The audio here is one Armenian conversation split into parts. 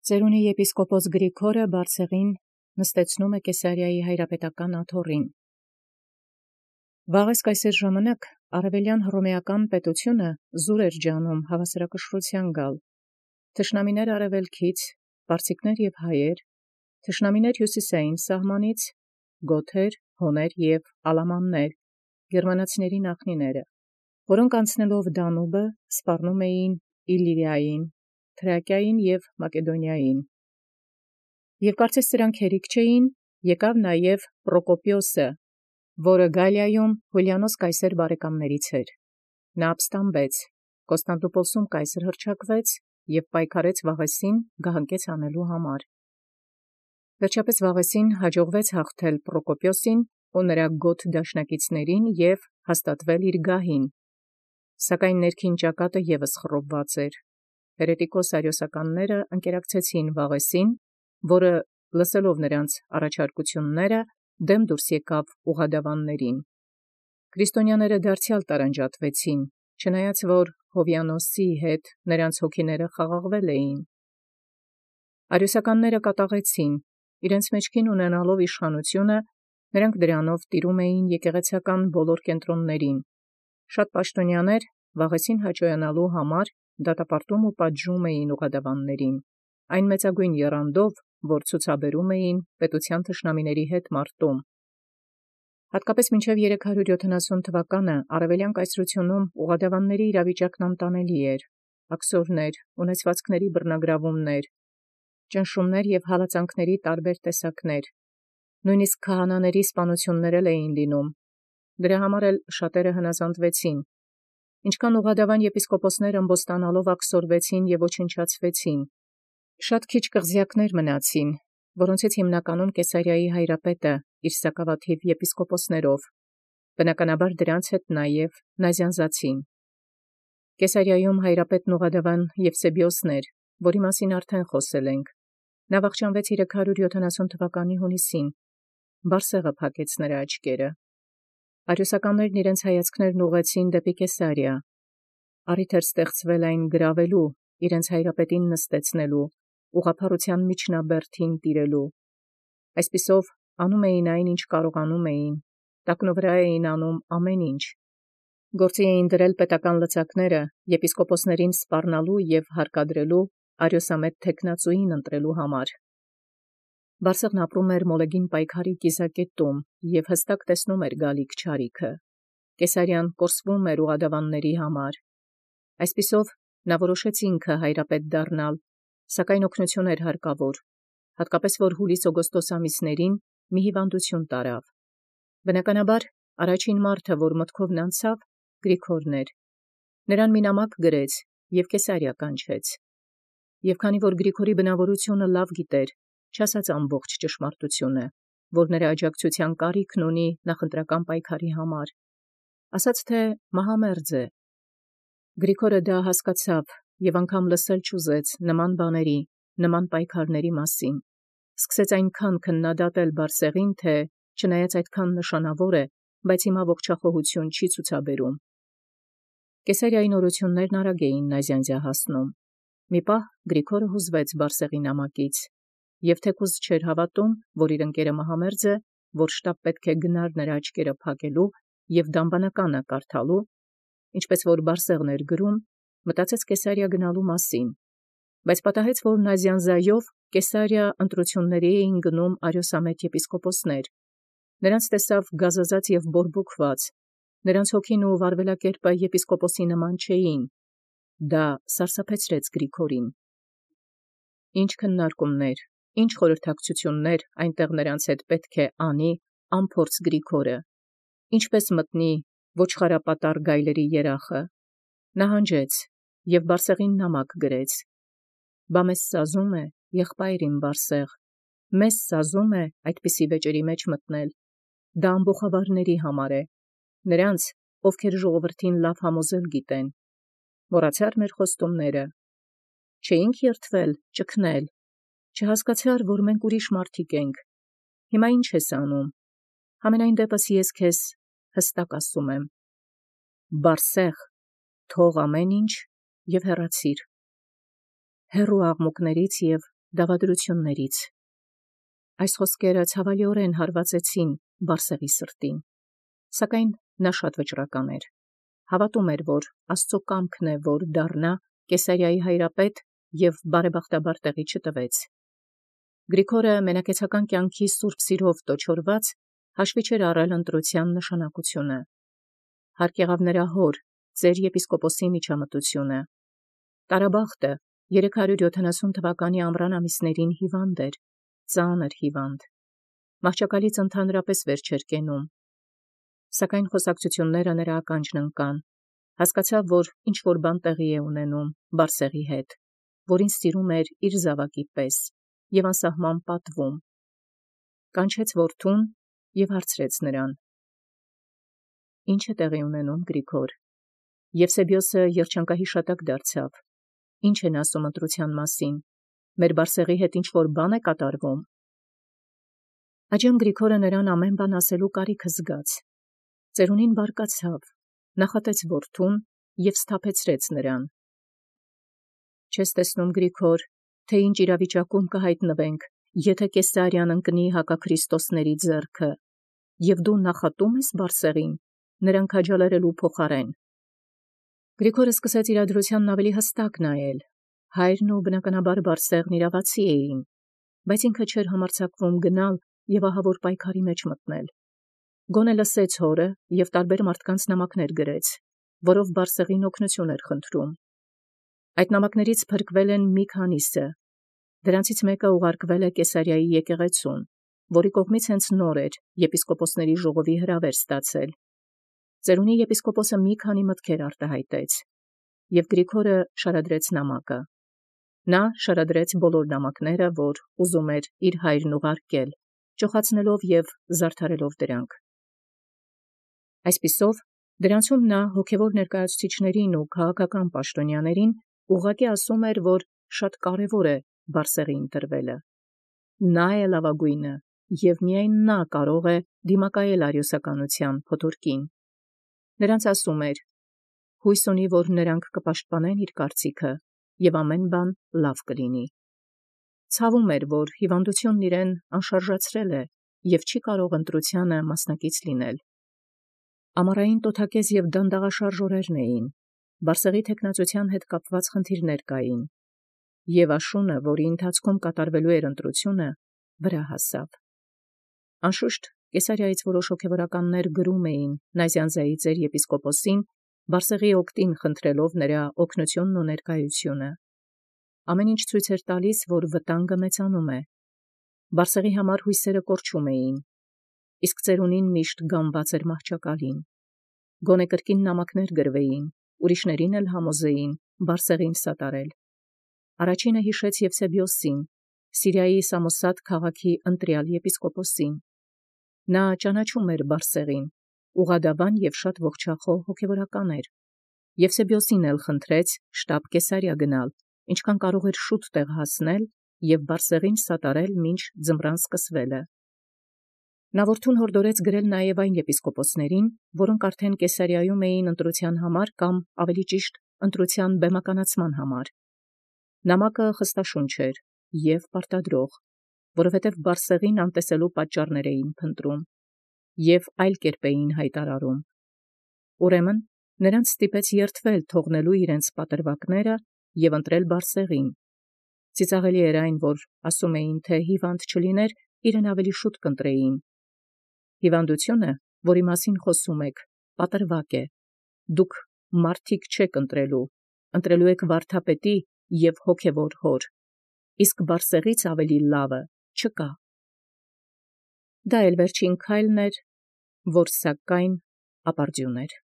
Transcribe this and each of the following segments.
Ծերունի եպիսկոպոս Գրիգորը Բարսեղին նստեցնում է Կեսարիայի հայրապետական աթոռին։ Վաղ կայսեր ժամանակ արևելյան հռոմեական պետությունը զուր էր ջանում հավասարակշռության գալ։ Թշնամիներ արևելքից, պարսիկներ և հայեր, թշնամիներ հյուսիսային սահմանից, գոթեր, հոներ և ալամաններ, գերմանացիների նախնիները, որոնք անցնելով Դանուբը սպառնում էին Իլիրիային, Թրակիային և Մակեդոնիային։ Եւ կարծես սրանք հերիք չէին, եկավ նաև Պրոկոպիոսը, որը Գալիայում Հուլիանոս կայսեր բարեկամներից էր։ Նա ապստամբեց, Կոստանդնուպոլսում կայսր հռչակվեց և պայքարեց Վաղեսին գահանքեց անելու համար։ Վերջապես Վաղեսին հաջողվեց հաղթել Պրոկոպիոսին ու նրա գոթ դաշնակիցներին և հաստատվել իր գահին, սակայն ներքին ճակատը ևս խռովված էր։ Հերետիկոս արիոսականները ընկերակցեցին Վաղեսին, որը լսելով նրանց առաջարկությունները դեմ դուրս եկավ ուղադավաններին։ Քրիստոնյաները դարձյալ տարանջատվեցին, չնայած որ Հովիանոսի հետ նրանց հոգիները խաղաղվել էին։ Արիոսականները կատաղեցին, իրենց մեջքին ունենալով իշխանությունը, նրանք դրանով տիրում էին եկեղեցական բոլոր կենտրոններին։ Շատ պաշտոնյաներ Վաղեսին հաճոյանալու համար դատապարտում ու պատժում էին ուղադավաններին, այն մեծագույն եռանդով, որ ցուցաբերում էին պետության թշնամիների հետ մարտում։ Հատկապես մինչև 370 թվականը արևելյան կայսրությունում ուղադավանների իրավիճակն անտանելի էր, աքսորներ, ունեցվածքների բռնագրավումներ, ճնշումներ և հալածանքների տարբեր տեսակներ, նույնիսկ քահանաների սպանություններ էին լինում։ Դրա համար էլ շատերը հնազանդվեցին, ինչքան ուղադավան եպիսկոպոսները ըմբոստանալով աքսորվեցին և ոչնչացվեցին։ Շատ քիչ կղզյակներ մնացին, որոնցից հիմնականում Կեսարիայի հայրապետը իր սակավաթիվ եպիսկոպոսներով, բնականաբար դրանց հետ նաև նազյանզացին։ Կեսարիայում հայրապետն ուղադավան Եվսեբիոսն էր, որի մասին արդեն խոսել ենք։ Նա վախճանվեց 370 թվականի հունիսին, Բարսեղը փակեց նրա աչքերը։ Արիոսականներն իրենց հայացքներն ուղղեցին դեպի Կեսարիա։ Առիթ էր ստեղծվել այն գրավելու, իրենց հայրապետին նստեցնելու, ուղղափառության միջնաբերդին տիրելու։ Այսպիսով անում էին այն, ինչ կարողանում էին, տակնուվրա էին անում ամեն ինչ։ Գործի էին դրել պետական լծակները եպիսկոպոսներին սպառնալու և հարկադրելու արիոսամետ թեկնածուին ընտրելու համար։ Բարսեղն ապրում էր Մոլեգին պայքարի կիզակետում և հստակ տեսնում էր գալիք չարիքը։ Կեսարիան կորսվում էր ուղադավանների համար։ Այսպիսով նա որոշեց ինքը հայրապետ դառնալ, սակայն օգնություն էր հարկավոր, հատկապես որ հուլիս-օգոստոս ամիսներին մի հիվանդություն տարավ։ Բնականաբար առաջին մարդը, որ մտքովն անցավ, Գրիգորն էր։ Նրան մի նամակ գրեց և Կեսարիա կանչեց։ Եվ քանի որ Գրիգորի բնավորությունը լավ գիտեր, չասաց ամբողջ ճշմարտությունը, որ նրա աջակցության կարիքն ունի նախընտրական պայքարի համար, ասաց, թե մահամերձ է։ Գրիգորը դա հասկացավ և անգամ լսել չուզեց նման բաների, նման պայքարների մասին։ Սկսեց այնքան քննադատել Բարսեղին, թե չնայած այդքան նշանավոր է, բայց հիմա ողջախոհություն չի ցուցաբերում։ Կեսարիայի նորություններն արագ էին նազյանզյա հասնում։ Մի պահ Գրիգորը հուզվեց Բարսեղի նամակից և թեկուզ չէր հավատում, որ իր ընկերը մահամերձ է, որ շտապ պետք է գնար նրա աչքերը փակելու և դամբանականը կարդալու, ինչպես որ Բարսեղն էր գրում, մտածեց Կեսարիա գնալու մասին, բայց պատահեց, որ նազյանզայով Կեսարիա ընտրությունների էին գնում արիոսամետ եպիսկոպոսներ։ Նրանց տեսավ գազազած և բորբոքված, նրանց հոգին ու վարվելակերպը եպիսկոպոսի նման չէին։ Դա սարսափեցրեց Գրիգորին։ Ինչ քննարկումներ, ինչ խորհրդակցություններ այնտեղ նրանց հետ պետք է անի անփորձ Գրիգորը, ինչպես մտնի ոչխարապատառ գայլերի երախը։ Նահանջեց և Բարսեղին նամակ գրեց. «Բա մեզ սազում է, եղբայր իմ Բարսեղ, մեզ սազում է այդպիսի վեճերի մեջ մտնել։ Դա ամբոխավարների համար է, նրանց, ովքեր ժողովրդին լավ համոզել գիտեն։ Մոռացա՞ր մեր խոստումները։ Չէինք երդվել, ճգնել, չհասկացա՞ր, որ մենք ուրիշ մարդիկ ենք։ Հիմա ի՞նչ ես անում։ Համենայն դեպս ես քեզ հստակ ասում եմ. Բարսեղ, թող ամեն ինչ և հեռացիր։ Հեռու աղմուկներից և դավադրություններից։ Այս խոսքերը ցավալիորեն հարվածեցին Բարսեղի սրտին, սակայն նա շատ վճռական էր։ Հավատում էր, որ Աստծո կամքն է, որ դառնա Կեսարիայի հայրապետ և բարեբախտաբար տեղի չտվեց։ Գրիգորը մենակեցական կյանքի սուրբ սիրով տոչորված հաշվի չէր առել ընտրության նշանակությունը։ Հարկ եղավ նրա հոր, ծեր եպիսկոպոսի միջամտությունը։ Տարաբախտը 370 թվականի ամռան ամիսներին հիվանդ էր, ծանր հիվանդ։ Մահճակալից ընդհանրապես վեր չէր կենում։ Սակայն խոսակցությունները նրա ականջն ընկան։ Հասկացավ, որ ինչ-որ բան տեղի է ունենում Բարսեղի հետ, որին սիրում էր իր զավակի պես և անսահման պատվում։ Կանչեց որդուն և հարցրեց նրան. «Ինչ է տեղի ունենում, Գրիգոր»։ Եվսեբիոսը երջանկահիշատակ դարձավ։ «Ինչ են ասում ընտրության մասին, մեր Բարսեղի հետ ինչ-որ բան է կատարվում»։ Այժմ Գրիգորը նրան ամեն բան ասելու կարիքը զգաց։ Ծերունին բարկացավ, նախատեց որդուն և սթափեցրեց նրան։ «Չես տեսնում, Գրիգոր, թե ինչ իրավիճակում կհայտնվենք, եթե Կեսարիան ընկնի հակաքրիստոսների ձեռքը, և դու նախատում ես Բարսեղին, նրան քաջալերելու փոխարեն»։ Գրիգորը սկսեց իրադրությանն ավելի հստակ նայել։ Հայրն ու բնականաբար Բարսեղն իրավացի էին, բայց ինքը չէր համարձակվում գնալ և ահավոր պայքարի մեջ մտնել։ Գոնե լսեց հորը և տարբեր մարդկանց նամակներ գրեց, որով Բարսեղին օգնություն էր խնդրում։ Այդ նամակներից փրկվել են մի քանիսը։ Դրանցից մեկը ուղարկվել է Կեսարիայի եկեղեցուն, որի կողմից հենց նոր էր եպիսկոպոսների ժողովի հրավեր ստացել։ Ծերունի եպիսկոպոսը մի քանի մտքեր արտահայտեց, և Գրիգորը շարադրեց նամակը։ Նա շարադրեց բոլոր նամակները, որ ուզում էր իր հայրն ուղարկել, ճոխացնելով և զարդարելով դրանք։ Այսպիսով, դրանցում նա հոգևոր ներկայացուցիչներին ու քաղաքական պաշտոնյաներին ուղղակի ասում էր, որ շատ կարևոր է Բարսեղի ընտրվելը։ Նա է լավագույնը, և միայն նա կարող է դիմակայել արիոսականության փոթորկին։ Նրանց ասում էր. հույս ունի, որ նրանք կպաշտպանեն իր կարծիքը, և ամեն բան լավ կլինի։ Ցավում էր, որ հիվանդությունն իրեն անշարժացրել է և չի կարող ընտրությանը մասնակից լինել։ Ամառային տոթակեզ և դանդաղաշարժ օրերն էին, Բարսեղի թեկնածության հետ կապված խնդիրներ կային, և աշունը, որի ընթացքում կատարվելու էր ընտրությունը, վրա հասավ։ Անշուշտ, Կեսարիայից որոշ հոգևորականներ գրում էին Նազյանզայի ծեր եպիսկոպոսին, Բարսեղի օգտին խնդրելով նրա օգնությունն ու ներկայությունը։ Ամեն ինչ ցույց էր տալիս, որ վտանգը մեծանում է։ Բարսեղի համար հույսերը կորչում էին, իսկ ծերունին միշտ գանված էր մահճակալին։ Գոնե կրկին նամակներ գրվեին, ուրիշներին էլ համոզեին Բարսեղին սատարել։ Առաջինը հիշեց Եվսեբիոսին, Սիրիայի Սամոսատ քաղաքի ընտրյալ եպիսկոպոսին։ Նա ճանաչում էր Բարսեղին, ուղղադավան և շատ ողջախոհ հոգևորական էր։ Եվսեբիոսին էլ խնդրեց շտապ Կեսարիա գնալ, ինչքան կարող էր շուտ տեղ հասնել և Բարսեղին սատարել մինչ ձմռան սկսվելը։ Նա որդուն հորդորեց գրել նաև այն եպիսկոպոսներին, որոնք արդեն Կեսարիայում էին ընտրության համար կամ ավելի ճիշտ ընտրության բեմականացման համար։ Նամակը խստաշունչ էր և պարտադրող, որովհետև Բարսեղին անտեսելու պատճառներ էին փնտրում և այլ կերպ էին հայտարարում։ Ուրեմն նրանց ստիպեց երդվել թողնելու իրենց պատրվակները և ընտրել Բարսեղին։ Ծիծաղելի էր այն, որ ասում էին, թե հիվանդ չլիներ, իրեն ավելի շուտ կընտրեին։ Հիվանդությունը, որի մասին խոսում եք, պատրվակ է։ Դուք մարդիկ չեք ընտրելու եք վարդապետի և հոգևոր հոր, իսկ Բարսեղից ավելի լավը չկա։ Դա էլ վերջին քայլն էր, որ սակայն ապարդյուն էր։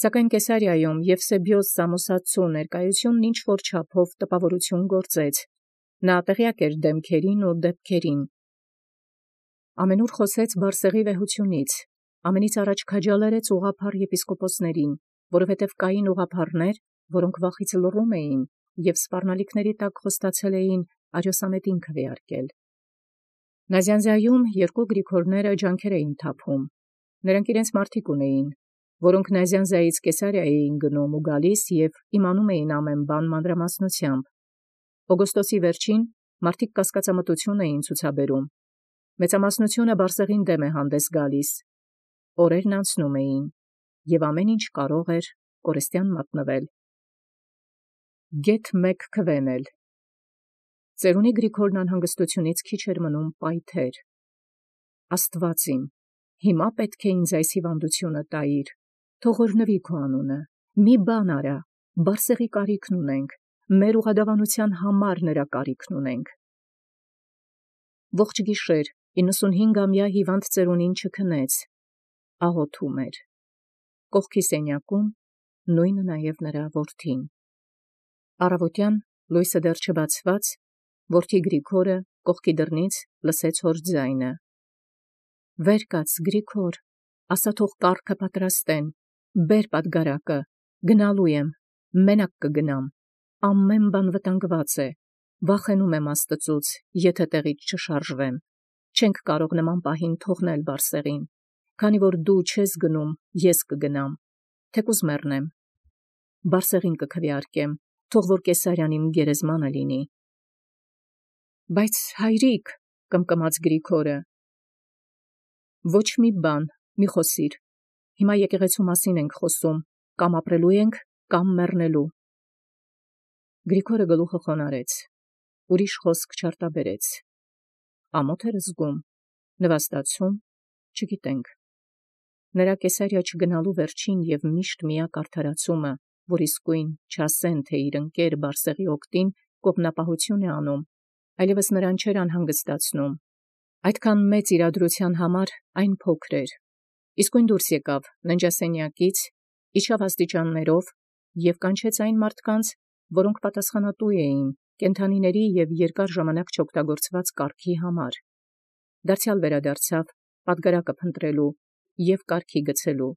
Սակայն Կեսարիայում Եվսեբիոս Սամոսացու ներկայությունն ինչ-որ չափով տպավորություն գործեց։ Նա տեղյակ էր դեմքերին ու դեպքերին։ Ամենուր խոսեց Բարսեղի վեհությունից, ամենից առաջ քաջալերեց ուղղափառ եպիսկոպոսներին, որովհետև կային ուղղափառներ, որոնք վախից լռում էին և սպառնալիքների տակ խոստացել էին արիոսամետին քվեարկել։ Նազյանզայում երկու Գրիգորները ջանքեր էին թափում։ Նրանք իրենց մարդիկ ունեին, որոնք Նազյանզայից Կեսարիա էին գնում ու գալիս և իմանում էին ամեն բան մանրամասնությամբ։ Օգոստոսի վերջին մարդիկ կասկածամտություն էին ցուցաբերում։ Մեծամասնությունը Բարսեղին դեմ է հանդես գալիս։ Օրերն անցնում էին, եւ ամեն ինչ կարող էր կորստյան մատնվել։ Գեթ մեկ քվենել։ Ծերունի Գրիգորն անհանգստությունից քիչ էր մնում պայթեր։ Աստված իմ, հիմա պետք է ինձ այս հիվանդությունը տայիր, թող օրհնվի քո անունը, մի բան արա, Բարսեղի կարիքն ունենք, մեր ուղղադավանության համար նրա կարիքն ունենք։ Ողջ գիշեր 95-ամյա հիվանդ ծերունին չքնեց, աղոթում էր։ Կողքի սենյակում նույնը նաև նրա որդին։ Առավոտյան լույսը դեռ չբացված, որդի Գրիգորը կողքի դռնից լսեց հոր ձայնը. «Վեր կաց, Գրիգոր, ասա թող կառքը պատրաստեն, բեր պատգարակը, գնալու եմ, մենակ կգնամ, ամեն բան վտանգված է, վախենում եմ Աստծուց, եթե տեղից չշարժվեմ, չենք կարող նման պահին թողնել Բարսեղին, քանի որ դու չես գնում, ես կգնամ, թեկուզ մեռնեմ, Բարսեղին կքվեարկեմ, թող որ Կեսարյան իմ գերեզմանը լինի»։ Բայց հայրիկ, կմկմաց Գրիգորը, ոչ մի բան, մի խոսիր, հիմա եկեղեցու մասին ենք խոսում, կամ ապրելու ենք, կամ մեռնելու։ Գրիգորը գլուխը խոնարհեց, ուրիշ խոսք չարտաբերեց։ Ամոթ էր զգում, նվաստացում, չգիտենք։ Նրա Կեսարիա չգնալու վերջին եւ միշտ միակ արդարացումը, որ իսկույն չասեն, թե իր ընկեր Բարսեղի օգտին կողմնապահություն է անում, այլևս նրան չէր անհանգստացնում։ Այդքան մեծ իրադրության համար այն փոքր էր։ Իսկույն դուրս եկավ ննջասենյակից, իջավ աստիճաններով եւ կանչեց այն մարդկանց, որոնք պատասխանատու էին կենդանիների եւ երկար ժամանակ չօգտագործված կառքի համար։ Դարձյալ վերադարձավ պատգարակը փնտրելու եւ կառքի գցելու։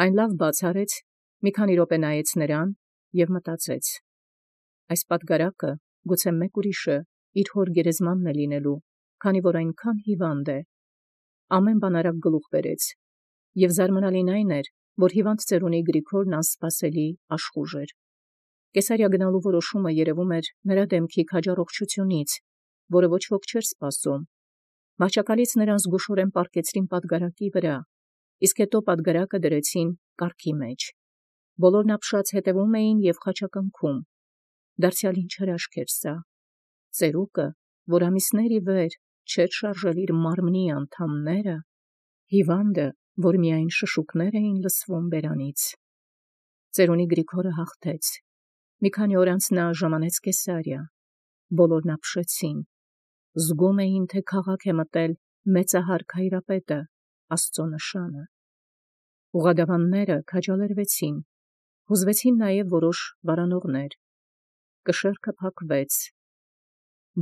Այն լավ բացարեց, մի քանի րոպե նայեց նրան եւ մտածեց. այս պատգարակը գուցե մեկ ուրիշը իր հոր գերեզմանն է լինելու, քանի որ այնքան հիվանդ է։ Ամեն բան արագ գլուխ բերեց, եւ զարմանալին այն էր, որ հիվանդ ծերունի Գրիգորն անսպասելի աշխուժ էր։ Կեսարիա գնալու որոշումը երևում էր նրա դեմքի քաջառողջությունից, որը ոչ ոք չէր սպասում։ Մահճակալից նրան զգուշորեն պառկեցրին պատգարակի վրա, իսկ հետո պատգարակը դրեցին կառքի մեջ։ Բոլորն ապշած հետևում էին եւ խաչակնքում։ Դարձյալ ինչ հրաշք էր սա։ Ծերուկը, որ ամիսներ ի վեր չէր շարժել իր մարմնի անդամները, հիվանդը, որ միայն շշուկներ էին լսվում բերանից։ Ծերունի Գրիգորը հաղթեց։ Մի քանի օր անց նա ժամանեց Կեսարիա։ Բոլորն ապշեցին։ Զգում էին, թե քաղաք է մտել մեծահարկ հայրապետը, Աստծո նշանը։ Ուղղադավանները քաջալերվեցին, հուզվեցին նաև որոշ վարանողներ։ Կշեռքը փակվեց։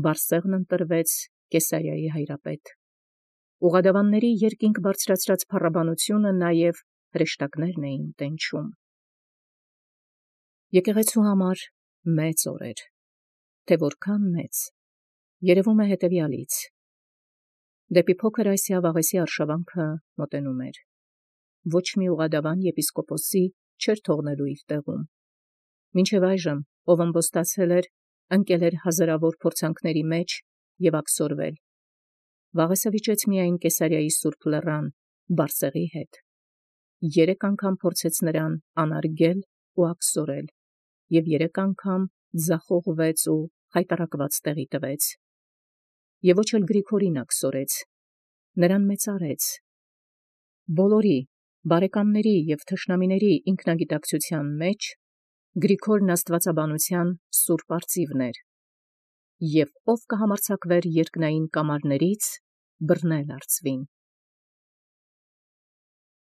Բարսեղն ընտրվեց Կեսարիայի հայրապետ։ Ուղղադավանների երկինք բարձրացրած փառաբանությունը նաև հրեշտակներն էին տենչում։ Եկեղեցու համար մեծ օր էր, թե որքան մեծ, երևում է հետևյալից. դեպի փոքր Ասիա Վաղեսի արշավանքը մոտենում էր։ Ոչ մի ուղղադավան եպիսկոպոսի չէր թողնելու իր տեղում։ Մինչև այժմ, ով ըմբոստացել էր, ընկել էր հազարավոր փորձանքների մեջ եւ աքսորվել։ Վաղեսը վիճեց միայն Կեսարիայի Սուրբ Լեռան, Բարսեղի հետ։ 3 անգամ փորձեց նրան անարգել ու աքսորել, եւ 3 անգամ ձախողվեց ու խայտառակված տեղի տվեց։ Եվ ոչ էլ Գրիգորին աքսորեց, նրան մեծարեց։ Բոլորի, բարեկամների եւ թշնամիների ինքնագիտակցության մեջ Գրիգորն աստվածաբանության սուրբ արծիվն էր, եւ ով կհամարձակվեր երկնային կամարներից բռնել արծվին։